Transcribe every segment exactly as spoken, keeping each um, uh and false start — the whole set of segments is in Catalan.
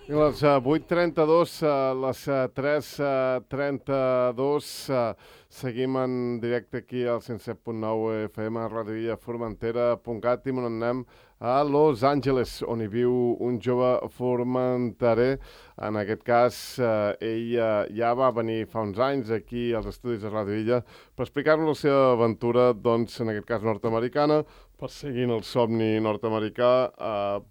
I les uh, vuit trenta-dos, uh, les uh, tres trenta-dos, uh, seguim en directe aquí al cent set punt nou F M, radiovilla formentera punt cat, i on anem a Los Angeles, on hi viu un jove formenterer. En aquest cas, uh, ell uh, ja va venir fa uns anys aquí als estudis de Radiovilla per explicar-nos la seva aventura, doncs, en aquest cas nord-americana, perseguint el somni nord-americà, uh,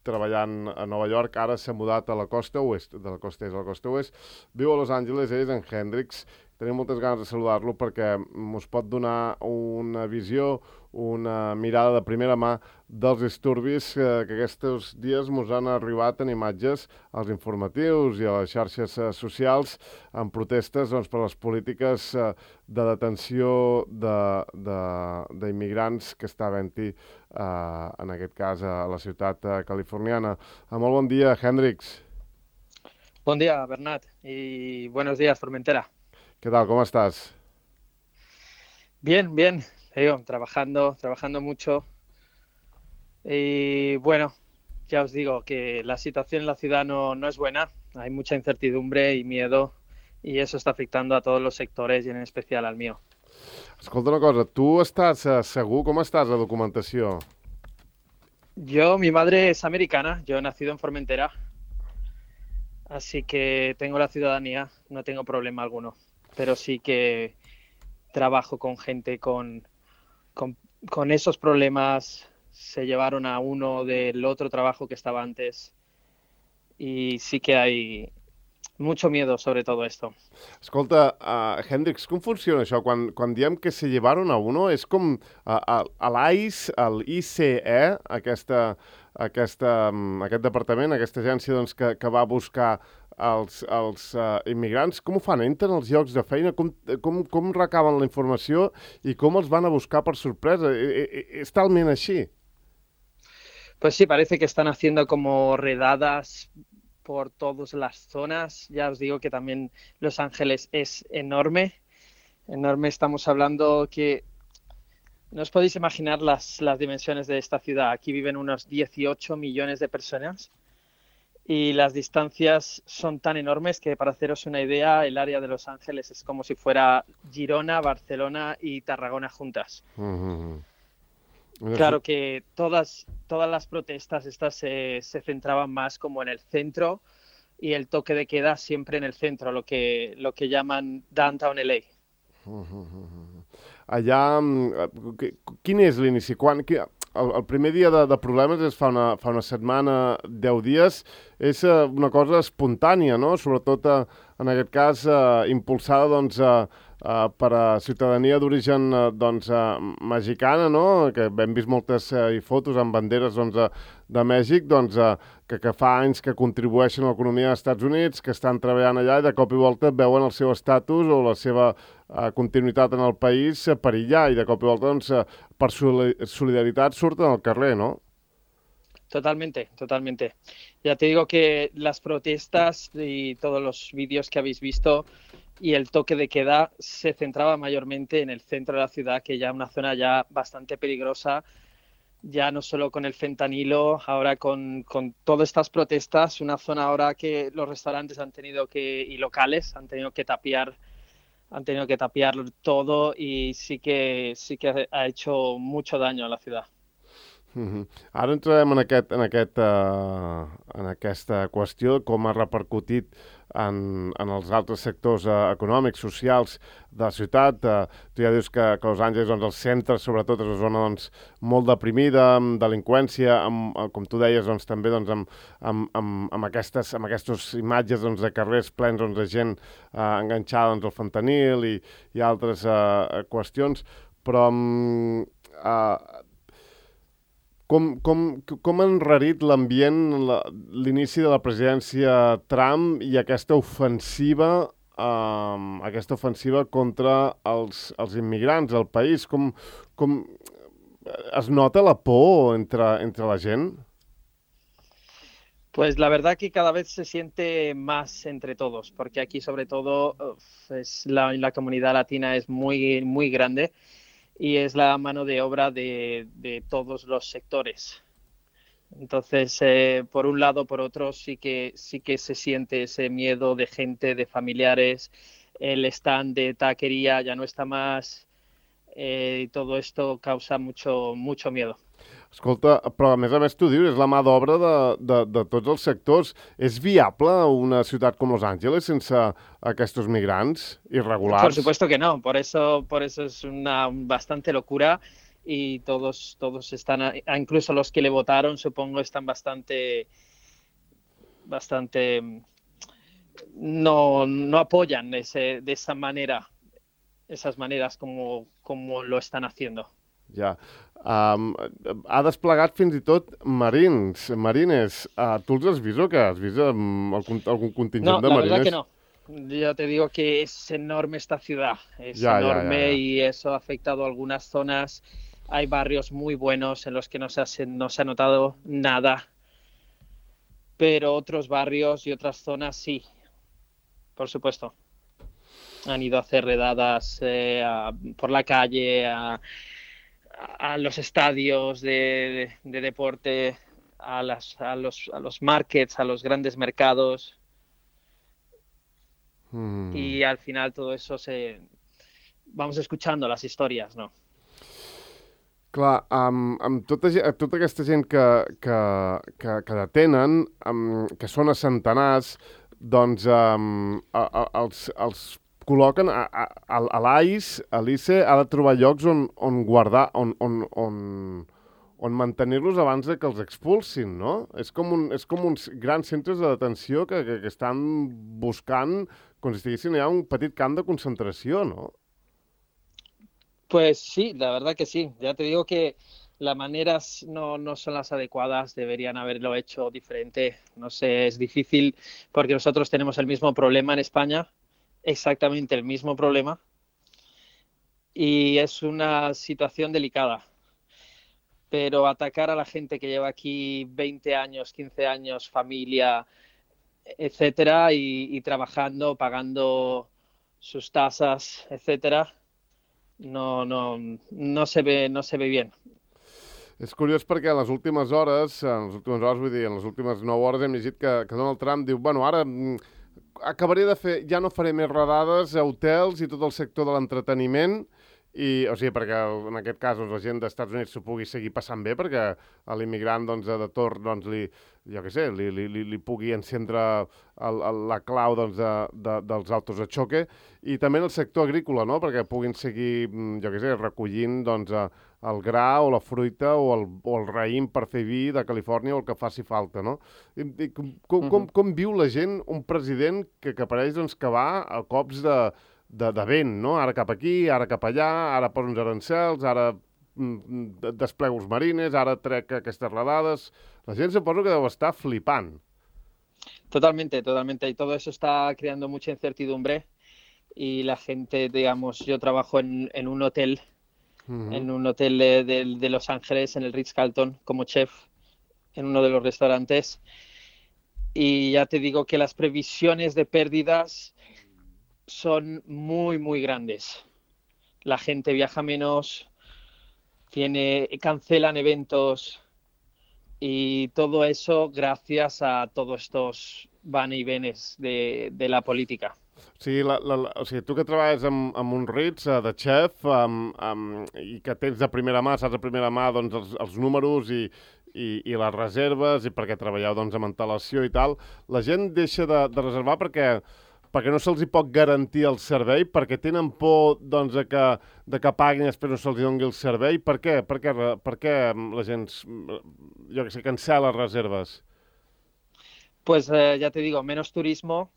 treballant a Nova York. Ara s'ha mudat a la costa oest, de la costa est a la costa oest. Viu a Los Angeles, ell és en Hendrix. Tenim moltes ganes de saludar-lo perquè ens pot donar una visió, una mirada de primera mà dels disturbis eh, que aquests dies ens han arribat en imatges als informatius i a les xarxes eh, socials en protestes, doncs, per les polítiques eh, de detenció d'immigrants que està havent-hi eh, en aquest cas a la ciutat eh, californiana. Eh, molt bon dia, Hendrix. Bon dia, Bernat, y buenos días, Formentera. ¿Qué tal? ¿Cómo estás? Bien, bien, digo, trabajando, trabajando mucho. Y bueno, ya os digo que la situación en la ciudad no, no es buena. Hay mucha incertidumbre y miedo, y eso está afectando a todos los sectores y en especial al mío. Escolta una cosa, tu estàs eh, segur? Com estàs a documentació? Yo, mi madre es americana, yo he nacido en Formentera, así que tengo la ciudadanía, no tengo problema alguno. Pero sí que trabajo con gente con, con, con esos problemas. Se llevaron a uno del otro trabajo que estaba antes, y sí que hay mucho miedo sobre todo esto. Escolta, uh, Hendrix, com funciona això? Quan, quan diem que se llevaron a uno, és com uh, a, a l'I C E, el I C E, aquesta, aquesta, um, aquest departament, aquesta agència, doncs, que, que va buscar els, els uh, immigrants. Com ho fan? Entren als llocs de feina? Com, com, com recaben la informació i com els van a buscar per sorpresa? I, i, és talment així? Pues sí, parece que están haciendo como redadas por todas las zonas. Ya os digo que también Los Ángeles es enorme. Enorme, estamos hablando que no os podéis imaginar las, las dimensiones de esta ciudad. Aquí viven unos dieciocho millones de personas y las distancias son tan enormes que, para haceros una idea, el área de Los Ángeles es como si fuera Girona, Barcelona y Tarragona juntas. Mm-hmm. Claro que todas, todas las protestas estas se, se centraban más como en el centro, y el toque de queda siempre en el centro, lo que, lo que llaman Downtown L A. Mm-hmm. Allà, quin és l'inici? Quan, el, el primer dia de, de problemes és fa una, fa una setmana, deu dies, és una cosa espontània, no? Sobretot, en aquest cas, eh, impulsada, doncs, eh, Uh, per a ciutadania d'origen uh, doncs, uh, mexicana, no? Que hem vist moltes uh, fotos amb banderes, doncs, uh, de Mèxic, doncs, uh, que, que fa anys que contribueixen a l'economia dels Estats Units, que estan treballant allà i de cop i volta veuen el seu estatus o la seva uh, continuïtat en el país uh, perillar, i de cop i volta, doncs, uh, per solidaritat surten al carrer, no? Totalmente, totalmente. Ya te digo que las protestas y todos los vídeos que habéis visto y el toque de queda se centraba mayormente en el centro de la ciudad, que ya es una zona ya bastante peligrosa, ya no solo con el fentanilo, ahora con, con todas estas protestas, una zona ahora que los restaurantes han tenido que, y locales, han tenido que tapiar, han tenido que tapiar todo, y sí que, sí que ha hecho mucho daño a la ciudad. Mm-hmm. Ara entrarem en, aquest, en, aquest, uh, en aquesta qüestió, com ha repercutit en, en els altres sectors uh, econòmics, socials de la ciutat. Uh, tu ja dius que, que Los Angeles, doncs, el centre, sobretot, és una zona, doncs, molt deprimida, amb delinqüència, amb, com tu deies, doncs, també, doncs, amb, amb, amb, amb, aquestes, amb aquestes imatges, doncs, de carrers plens, doncs, de gent uh, enganxada, doncs, al fentanil i, i altres uh, qüestions. Però um, uh, Com, com, com ha enrarit l'ambient l'inici de la presidència Trump i aquesta ofensiva, eh, aquesta ofensiva contra els, els immigrants al país? Com, com es nota la por entre, entre la gent? Pues la verdad que cada vez se siente más entre todos, porque aquí sobre todo es la, la comunidad latina es muy, muy grande, y es la mano de obra de, de todos los sectores. Entonces, eh, por un lado, por otro, sí que, sí que se siente ese miedo de gente, de familiares. El stand de taquería ya no está más, eh, y todo esto causa mucho, mucho miedo. Escolta, però a més a més tu dius, és la mà d'obra de, de, de tots els sectors. És viable una ciutat com Los Angeles sense aquests migrants Por irregulars? supuesto que no, por eso, por eso es una bastante locura y todos, todos están, incluso los que le votaron, supongo, están bastante, bastante, no, no apoyan ese, de esa manera, esas maneras como, como lo están haciendo. Ja. Um, ha desplegat fins i tot marins, marines. Uh, tu els has vist o què? Has vist um, algun, algun contingent no, de la marines? verdad que no. Yo te digo que es enorme esta ciudad, es Ya, ya, enorme ya, ya. y eso ha afectado a algunas zonas. Hay barrios muy buenos en los que no se ha, no se ha notado nada, pero otros barrios y otras zonas sí, por supuesto. Han ido a hacer redadas eh, a, por la calle, a, a los estadios de, de, de deporte, a, las, a, los, a los markets, a los grandes mercados. Mm. Y al final todo eso se... Vamos escuchando las historias, ¿no? Clar, amb, amb tota, ge- tota aquesta gent que, que, que, que detenen, amb, que són a centenars, doncs um, a, a, els, els col·loquen a, a, a, a l'A I C E, a l'I C E ha de trobar llocs on, on guardar, on, on, on, on mantenir-los abans de que els expulsin, no? És com, un, és com uns grans centres de detenció que, que, que estan buscant, com si estiguessin allà un petit camp de concentració, no? Pues sí, la verdad que sí. Ya te digo que las maneras no, no son las adecuadas, deberían haberlo hecho diferente. No sé, es difícil porque nosotros tenemos el mismo problema en España, exactamente el mismo problema, y es una situación delicada. Pero atacar a la gente que lleva aquí veinte años, quince años, familia, etcétera, y, y trabajando, pagando sus tasas, etcétera, no, no, no se ve, no se ve bien. És curiós perquè en les últimes hores, en les últimes hores, vull dir, en les últimes nou hores hem llegit que, que Donald Trump diu, bueno, ara mm, acabaré de fer, ja no faré més redades a hotels i tot el sector de l'entreteniment, i, o sigui, perquè en aquest cas doncs, la gent dels Estats Units s'ho pugui seguir passant bé, perquè a l'immigrant doncs, de torn doncs, li, jo què sé, li, li, li, li pugui encendre el, el, la clau doncs, de, de, dels autos de xoque, i també en el sector agrícola, no? Perquè puguin seguir, mm, jo què sé, recollint doncs, a, el gra o la fruita o el, o el raïm per fer vi de Califòrnia o el que faci falta, no? I, i com, com, com, com viu la gent un president que, que pareix doncs, que va a cops de, de, de vent, no? Ara cap aquí, ara cap allà, ara posa uns arancels, ara mm, desplego els marines, ara trec aquestes redades. La gent suposo que deu estar flipant. Totalmente, totalmente. Y todo eso está creando mucha incertidumbre. Y la gente, digamos, yo trabajo en, en un hotel, Uh-huh. en un hotel de, de, de Los Ángeles, en el Ritz-Carlton, como chef, en uno de los restaurantes. Y ya te digo que las previsiones de pérdidas son muy, muy grandes. La gente viaja menos, tiene, cancelan eventos y todo eso gracias a todos estos van y venes de, de la política. O sigui, la, la, la, o sigui, tu que treballes amb, amb un Ritz uh, de xef um, um, i que tens de primera mà, saps de primera mà doncs, els, els números i, i, i les reserves i perquè treballeu doncs, amb antelació i tal, la gent deixa de, de reservar perquè, perquè no se'ls hi pot garantir el servei, perquè tenen por doncs, de, que, de que paguin i després no se'ls doni el servei. Per què? Per què, per què la gent, jo que sé, cancela reserves? Pues eh, ya te digo, menos turismo,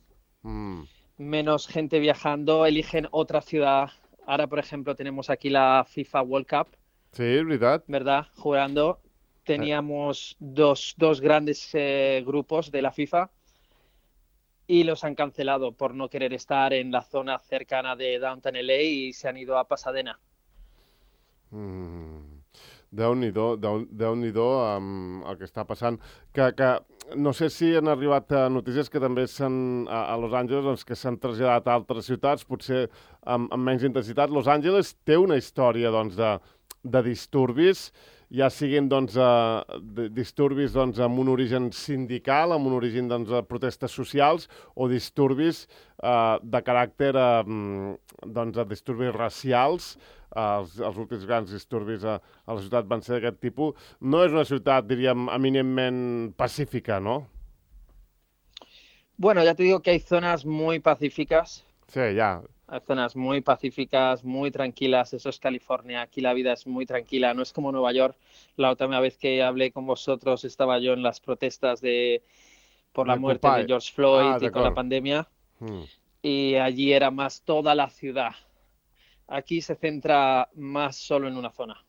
Mm. menos gente viajando, eligen otra ciudad. Ahora, por ejemplo, tenemos aquí la FIFA World Cup, Sí, és veritat. ¿verdad? Jugando. Teníamos dos, dos grandes eh, grupos de la FIFA y los han cancelado por no querer estar en la zona cercana de Downtown L A y se han ido a Pasadena. Mm. Déu-n'hi-do, Déu, Déu-n'hi-do amb el que està passant. Que, que no sé si han arribat a notícies que també s'han, a, a Los Angeles doncs, que s'han traslladat a altres ciutats, potser amb, amb menys intensitat. Los Angeles té una història doncs, de, de disturbis ja siguin doncs, uh, disturbis doncs, amb un origen sindical, amb un origen doncs, de protestes socials, o disturbis uh, de caràcter, uh, doncs, de disturbis racials. Uh, els, els últims grans disturbis a, a la ciutat van ser d'aquest tipus. No és una ciutat, diríem, eminentment pacífica, ¿no? Bueno, ya te digo que hay zonas muy pacíficas. Sí, ya. Hay zonas muy pacíficas, muy tranquilas. Eso es California. Aquí la vida es muy tranquila. No es como Nueva York. La última vez que hablé con vosotros estaba yo en las protestas de por la De muerte Occupy. de George Floyd Ah, y con la d'acord. pandemia. Mm. Y allí era más toda la ciudad. Aquí se centra más solo en una zona.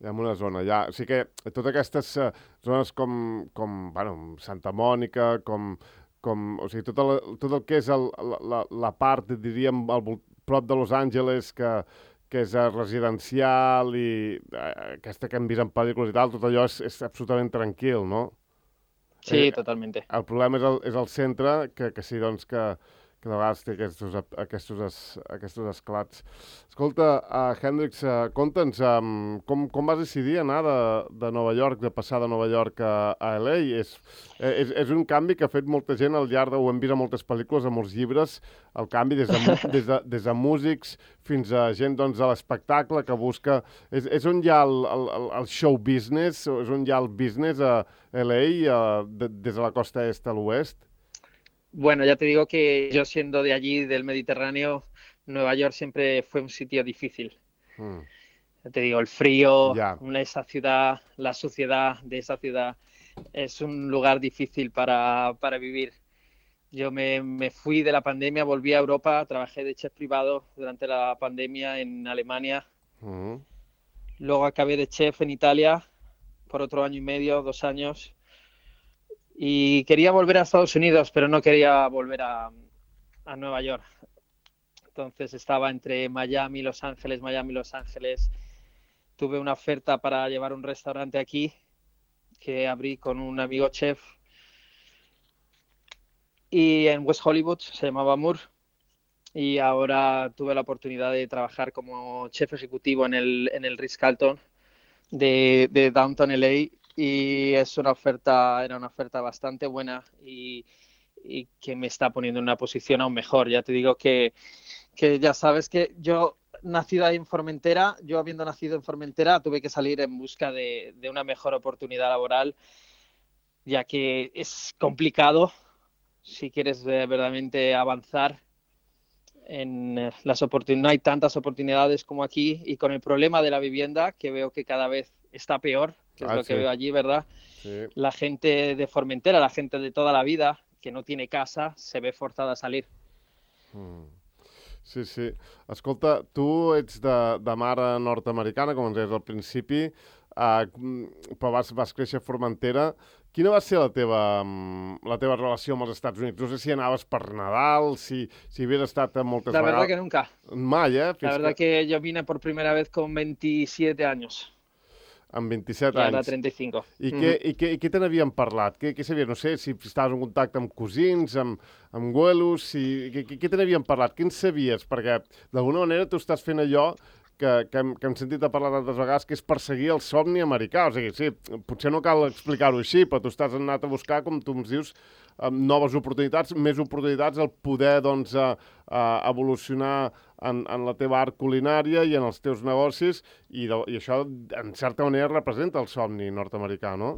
Ja en una zona, ja. O sigui que totes aquestes uh, zones com, com bueno, Santa Mònica, com, com o sigui, tot el, tot el que és el, la, la part, diríem, al vol- prop de Los Angeles, que, que és uh, residencial i uh, aquesta que hem vist en pel·lícules i tal, tot allò és, és absolutament tranquil, no? Sí, Eh, totalmente. El problema és el, és el centre, que, que sí, doncs, que, que de vegades té aquests, aquests, es, aquests esclats. Escolta, uh, Hendrix, uh, conta'ns, um, com, com vas decidir anar de, de Nova York, de passar de Nova York a, a L A? És, és, és un canvi que ha fet molta gent al llarg de... Ho hem vist a moltes pel·lícules, a molts llibres, el canvi des de, mu- des de, des de músics fins a gent doncs, de l'espectacle que busca... És, és on hi ha el, el, el show business, o és on hi ha el business a L A, uh, de, des de la costa est a l'oest? Bueno, ya te digo que yo siendo de allí, del Mediterráneo, Nueva York siempre fue un sitio difícil. Mm. Ya te digo, el frío, Ya. una- esa ciudad, la suciedad de esa ciudad, es un lugar difícil para, para vivir. Yo me, me fui de la pandemia, volví a Europa, trabajé de chef privado durante la pandemia en Alemania. Mm. Luego acabé de chef en Italia por otro año y medio, dos años. Y quería volver a Estados Unidos, pero no quería volver a, a Nueva York. Entonces estaba entre Miami, Los Ángeles, Miami, Los Ángeles. Tuve una oferta para llevar un restaurante aquí que abrí con un amigo chef. Y en West Hollywood, se llamaba Moore. Y ahora tuve la oportunidad de trabajar como chef ejecutivo en el, en el Ritz-Carlton de, de Downtown L A. Y es una oferta, era una oferta bastante buena y, y que me está poniendo en una posición aún mejor. Ya te digo que, que ya sabes que yo, nacido ahí en Formentera, yo habiendo nacido en Formentera, tuve que salir en busca de, de una mejor oportunidad laboral, ya que es complicado si quieres eh, verdaderamente avanzar en eh, las oportunidades. No hay tantas oportunidades como aquí, y con el problema de la vivienda, que veo que cada vez está peor, que es Ah, lo sí. que veo allí, ¿verdad? Sí. La gente de Formentera, la gente de toda la vida que no tiene casa, se ve forzada a salir. Mm. Sí, sí. Escolta, tu ets de, de mare nord-americana, com ens deies al principi, uh, però vas, vas créixer a Formentera. Quina va ser la teva, mm, la teva relació amb els Estats Units? No sé si anaves per Nadal, si, si havies estat moltes La verdad vegades... que nunca. Mai, eh? La Fins verdad que... que yo vine por primera vez con veintisiete años Amb vint-i-set y ahora anys. treinta y cinco. I què, i què, i què te n'havien parlat? Què, què sabies? No sé, si estaves en contacte amb cosins, amb, amb güelos, si, què, què, què te n'havien parlat? Què en sabies? Perquè, d'alguna manera, tu estàs fent allò que, que, hem, que hem sentit a parlar tantes vegades, que és perseguir el somni americà. O sigui, sí, potser no cal explicar-ho així, però tu estàs anat a buscar, com tu ens dius, noves oportunitats, més oportunitats, el poder, doncs, a, a evolucionar en, en la teva art culinària i en els teus negocis, i, de, i això, en certa manera, representa el somni nord-americà, no?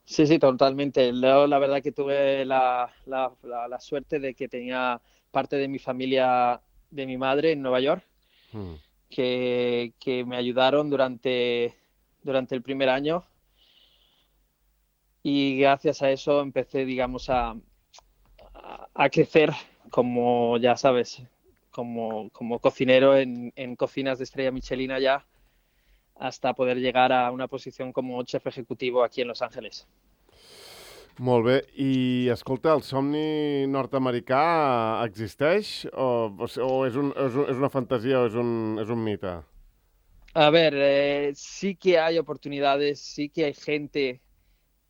Sí, sí, totalmente. Luego, la verdad que tuve la, la, la, la suerte de que tenía parte de mi familia, de mi madre en Nueva York, Mm. que, que me ayudaron durante, durante el primer año, y gracias a eso empecé, digamos, a, a, a crecer como, ya sabes, como, como cocinero en, en cocinas de estrella Michelin allá, hasta poder llegar a una posición como chef ejecutivo aquí en Los Ángeles. Molt bé. I, escolta, el somni nord-americà existeix o, o és, un, és, un, és una fantasia o és un, és un mite? A ver, eh, sí que hay oportunidades, sí que hay gente,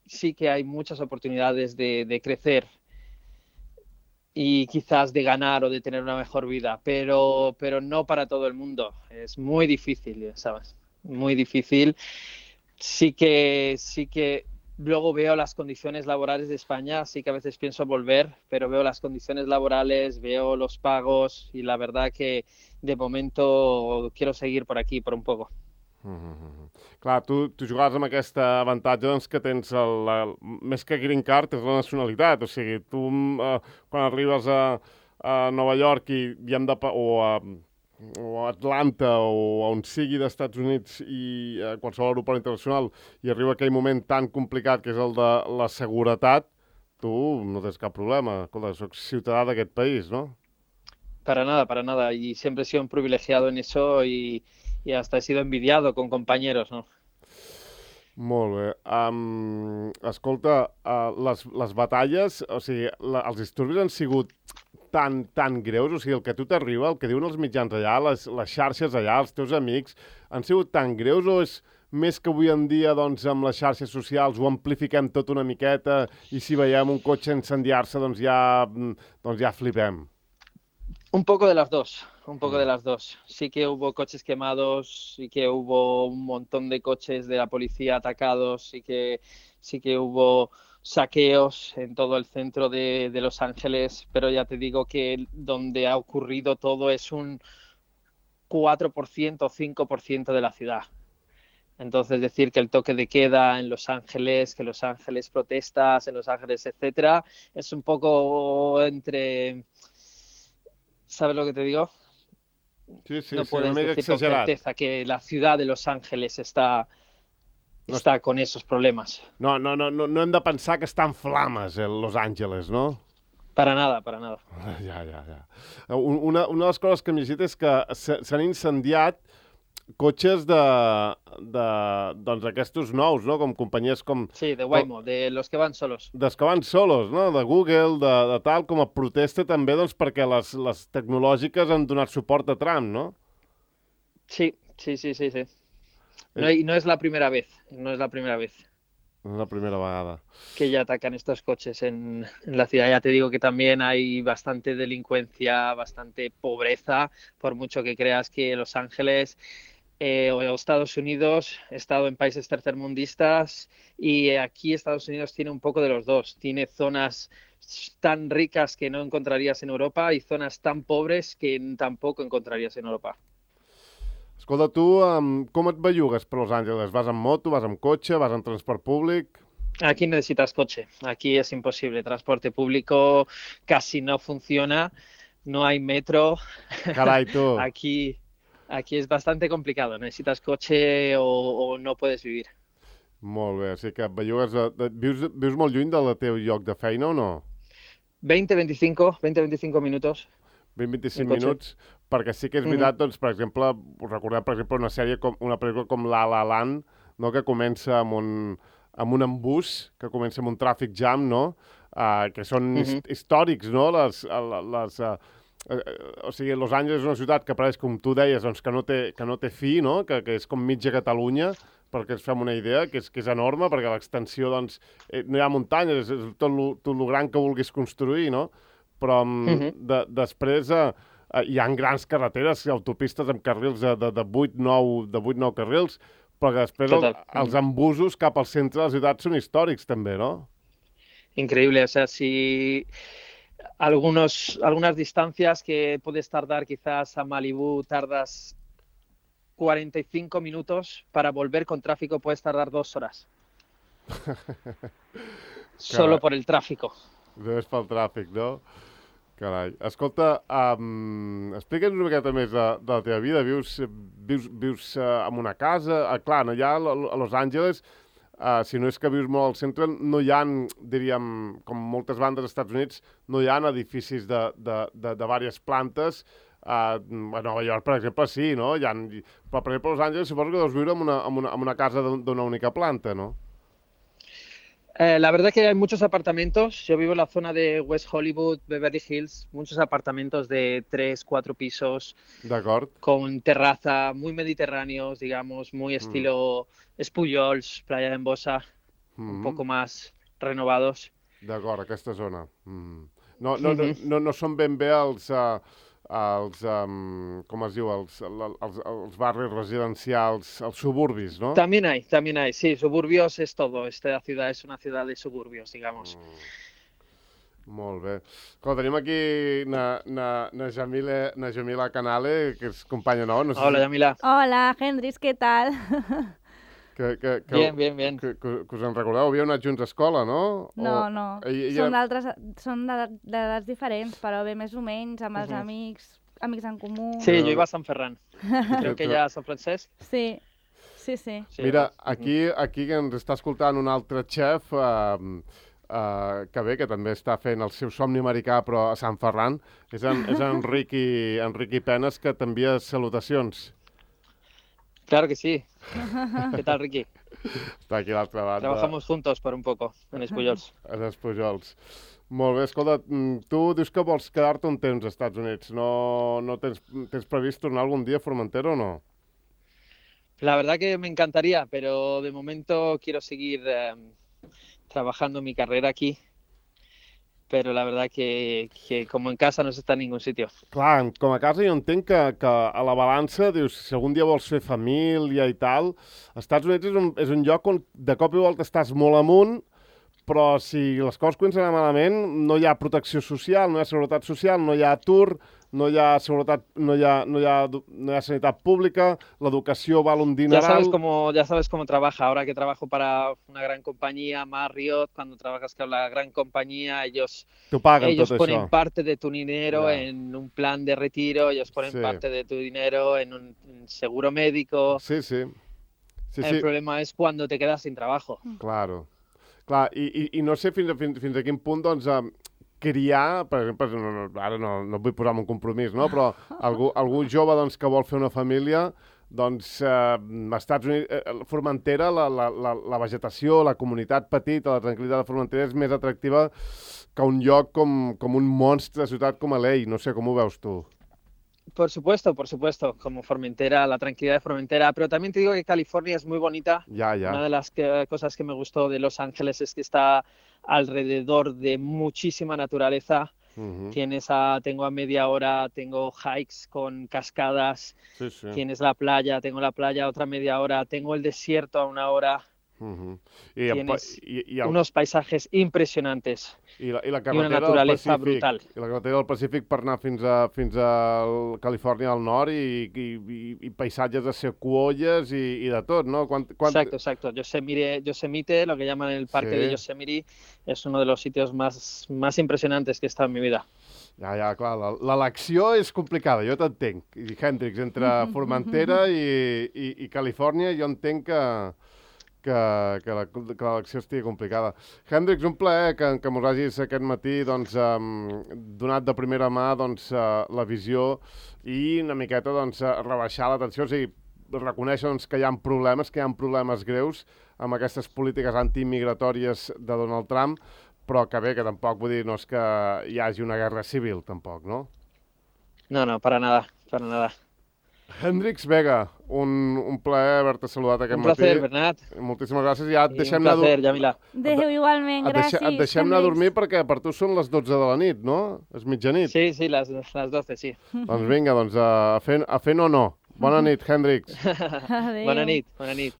sí que hay muchas oportunidades de, de crecer y quizás de ganar o de tener una mejor vida, pero, pero no para todo el mundo. Es muy difícil, ¿sabes? Muy difícil. sí que, sí que luego veo las condiciones laborales de España, sí que a veces pienso volver, pero veo las condiciones laborales, veo los pagos y la verdad que de momento quiero seguir por aquí por un poco. Mm -hmm. Clar, tu, tu jugaves amb aquest avantatge doncs, que tens, el, el, més que green card, és la nacionalitat. O sigui, tu eh, quan arribes a, a Nova York i, i hem de, o a o a Atlanta o a on sigui d'Estats Units i a qualsevol aeroport internacional i arriba aquell moment tan complicat que és el de la seguretat, tu no tens cap problema. Escolta, soc ciutadà d'aquest país, no? Para nada, para nada. Y siempre he sido un privilegiado en eso y, y hasta he sido envidiado con compañeros, ¿no? Molt bé. Um, escolta, uh, les, les batalles, o sigui, la, els disturbis han sigut tan, tan greus? O sigui, el que a tu t'arriba, el que diuen els mitjans allà, les, les xarxes allà, els teus amics, han sigut tan greus o és més que avui en dia, doncs, amb les xarxes socials ho amplifiquem tot una miqueta i si veiem un cotxe incendiar-se, doncs ja, doncs ja flipem? Un poco de las dos, un poco de las dos. Sí que hubo coches quemados, sí que hubo un montón de coches de la policía atacados, sí que, sí que hubo saqueos en todo el centro de, de Los Ángeles, pero ya te digo que donde ha ocurrido todo es un cuatro por ciento o cinco por ciento de la ciudad. Entonces decir que el toque de queda en Los Ángeles, que Los Ángeles protestas, en Los Ángeles, etcétera, es un poco entre... ¿Sabes lo que te digo? Sí, sí, no sí, puedes decir exagerat. con certeza que la ciudad de Los Ángeles está, no está con esos problemas. No, no, no, no, no hem de pensar que està en flames, el Los Angeles, no? Para nada, para nada. Ja, ja, ja. Una, una de les coses que hem llegit és que s'han incendiat cotxes de, de doncs aquests nous, no? Com companyies com... Sí, de Waymo, com, de los que van solos. Dels que van solos, no? De Google, de, de tal, com a protesta també, doncs, perquè les, les tecnològiques han donat suport a Trump, no? Sí, sí, sí, sí, sí. No, y no es la primera vez, no es la primera vez. No es la primera vegada. Que ya atacan estos coches en, en la ciudad. Ya te digo que también hay bastante delincuencia, bastante pobreza, por mucho que creas que Los Ángeles eh, o Estados Unidos, he estado en países tercermundistas y aquí Estados Unidos tiene un poco de los dos. Tiene zonas tan ricas que no encontrarías en Europa y zonas tan pobres que tampoco encontrarías en Europa. Escolta, tu um, com et bellugues per Los Angeles? Vas en moto, vas en cotxe, vas en transport públic? Aquí necesitas coche, aquí es imposible. Transporte público casi no funciona, no hay metro. Carai, tu. Aquí, aquí es bastante complicado, necesitas coche o, o no puedes vivir. Molt bé, o sigui que et bellugues... De, de, vius, vius molt lluny del teu lloc de feina o no? veinte, veinticinco, veinte, veinticinco minutos. vint a vint-i-cinc minuts, perquè sí que és veritat, mm -hmm. doncs, per exemple, recordem, per exemple, una sèrie, com una pel·lícula com La La Land, no?, que comença amb un, amb un embús, que comença amb un tràfic jam, no?, uh, que són mm -hmm. històrics, no?, les... les uh, uh, o sigui, Los Angeles és una ciutat que pareix, com tu deies, doncs, que no té, que no té fi, no?, que, que és com mitja Catalunya, perquè ens fem una idea, que és, que és enorme, perquè l'extensió, doncs, eh, no hi ha muntanyes, és tot lo, tot lo gran que vulguis construir, no?, però mm -hmm. de, després eh, hi ha grans carreteres, autopistes amb carrils de, de, de vuit nou carrils, però que després el, els embusos cap al centre de la ciutat són històrics també, no? Increíble, o sea, si algunos, algunas distancias que puedes tardar quizás a Malibú tardas cuarenta y cinco minutos, para volver con tráfico puedes tardar dos horas. Solo por el tráfico. Només pel tràfic, no? Carai. Escolta, um, explica'ns una miqueta més de, de la teva vida. Vius, vius, vius uh, en una casa? Uh, clar, allà a Los Angeles, uh, si no és que vius molt al centre, no hi ha, diríem, com moltes bandes als Estats Units, no hi ha edificis de, de, de, de diverses plantes. Uh, a Nova York, per exemple, sí, no? Hi ha, però, per exemple, a Los Angeles suposo que deus viure en una, en una, en una casa d'una única planta, no? Eh, la verdad que hay muchos apartamentos. Yo vivo en la zona de West Hollywood, Beverly Hills, muchos apartamentos de tres, cuatro pisos. D'acord. Con terraza, muy mediterráneos, digamos, muy estilo mm. Espujols, Playa de Embosa, mm. un poco más renovados. D'acord, aquesta zona. Mm. No, no, mm -hmm. no, no, no són ben bé els... Uh, als, um, com es diu, els, els, els barris residencials, els suburbis, no? También hay, también hay, sí, suburbios es todo, esta ciudad es una ciudad de suburbios, digamos. Mm. Molt bé. Escolta, tenim aquí na, na, na, Jamila, na Jamila Canale, que és companya nova. No sé Hola, si... Jamila. Hola, Hendrix, què tal? Que, que, que, bien, bien, bien. Que, que, que us en recordeu? Havíeu anat junts a escola, no? No, o... no. Ella, ella... Són d'altres, són d'edats diferents, però bé, més o menys, amb els uh -huh. amics, amics en comú. Sí, jo iba a Sant Ferran. Creo que ella a Sant Francesc. Sí, sí, sí. sí Mira, aquí, aquí que ens està escoltant un altre xef, uh, uh, que bé, que també està fent el seu somni americà, però a Sant Ferran, és en, és en Riqui, en Riqui Penes, que t'envia salutacions. Claro que sí. ¿Qué tal, Riqui? Està aquí a l'altra banda. Trabajamos juntos por un poco, en Espujols. En Espujols. Molt bé, escolta, tu dius que vols quedar-te un temps als Estats Units. No, no tens, tens previst tornar algun dia a Formentera o no? La verdad que me encantaría, pero de momento quiero seguir eh, trabajando mi carrera aquí. Però la verdad que, que com en casa no s'està en ningú sitio. Clar, com a casa jo entenc que, que a la balança, dius, si algun dia vols fer família i tal, als Estats Units és un, és un lloc on de cop i volta estàs molt amunt, però si les coses comencen a anar malament, no hi ha protecció social, no hi ha seguretat social, no hi ha atur, no hi ha seguretat, no hi ha, no hi ha, no hi ha sanitat pública, l'educació val un dineral... Ya sabes cómo, ya sabes cómo trabaja. Ahora que trabajo para una gran compañía, Marriott, cuando trabajas con la gran compañía, ellos, ellos ponen això. parte de tu dinero yeah. en un plan de retiro, ellos ponen sí. parte de tu dinero en un en seguro médico. Sí, sí. sí El sí. problema es cuando te quedas sin trabajo. Claro. Clar, i, i, i no sé fins a, fins, fins a quin punt, doncs, eh, criar, per exemple, no, no, ara no, no vull posar-me un compromís, no? Però algú, algú jove doncs, que vol fer una família, doncs, eh, Estats Units, eh, Formentera, la, la, la, la vegetació, la comunitat petita, la tranquil·litat de Formentera és més atractiva que un lloc com, com un monstre de ciutat com L A. No sé, com ho veus tu? Por supuesto, por supuesto, como Formentera, la tranquilidad de Formentera, pero también te digo que California es muy bonita. Ya, ya. Una de las que, cosas que me gustó de Los Ángeles es que está alrededor de muchísima naturaleza. Uh-huh. Tienes a, tengo a media hora, tengo hikes con cascadas, sí, sí. Tienes la playa, tengo la playa otra media hora, tengo el desierto a una hora. Uh-huh. I Tienes el, i, i el... unos paisajes impresionantes. I la, i la I una naturalesa brutal. I la carretera del Pacífic per anar fins a, fins a Califòrnia al nord i, i, i, i paisatges de sequoies i, i de tot, ¿no? Quant, quant... Exacto, exacto. Yosemite, Yosemite, lo que llaman el parque sí. de Yosemite, es uno de los sitios más, más impresionantes que he estado en mi vida. Ja, ja, clar, l'elecció és complicada, jo t'entenc. I Hendrix, entre Formentera i, i, i Califòrnia, jo entenc que... que, que l'elecció estigui complicada. Hendrix, un plaer que, que mos hagis aquest matí doncs, um, donat de primera mà doncs, uh, la visió i una miqueta doncs, uh, rebaixar la tensió, o sigui, reconèixer doncs, que hi ha problemes, que hi ha problemes greus amb aquestes polítiques antimigratòries de Donald Trump, però que bé, que tampoc vull dir, no és que hi hagi una guerra civil, tampoc, no? No, no, para nada, para nada. Hendrix Vega, un, un plaer haver-te saludat aquest un matí. Un placer, Bernat. Moltíssimes gràcies. Ja et I deixem un placer, Jamila. Adéu, igualment, gràcies. Et, deixem, et deixem anar a dormir perquè per tu són les dotze de la nit, no? És mitjanit. Sí, sí, les, les doce, sí. Doncs vinga, doncs a fer, a fer no, no. Bona nit, Hendrix. Adéu. Bona nit, bona nit.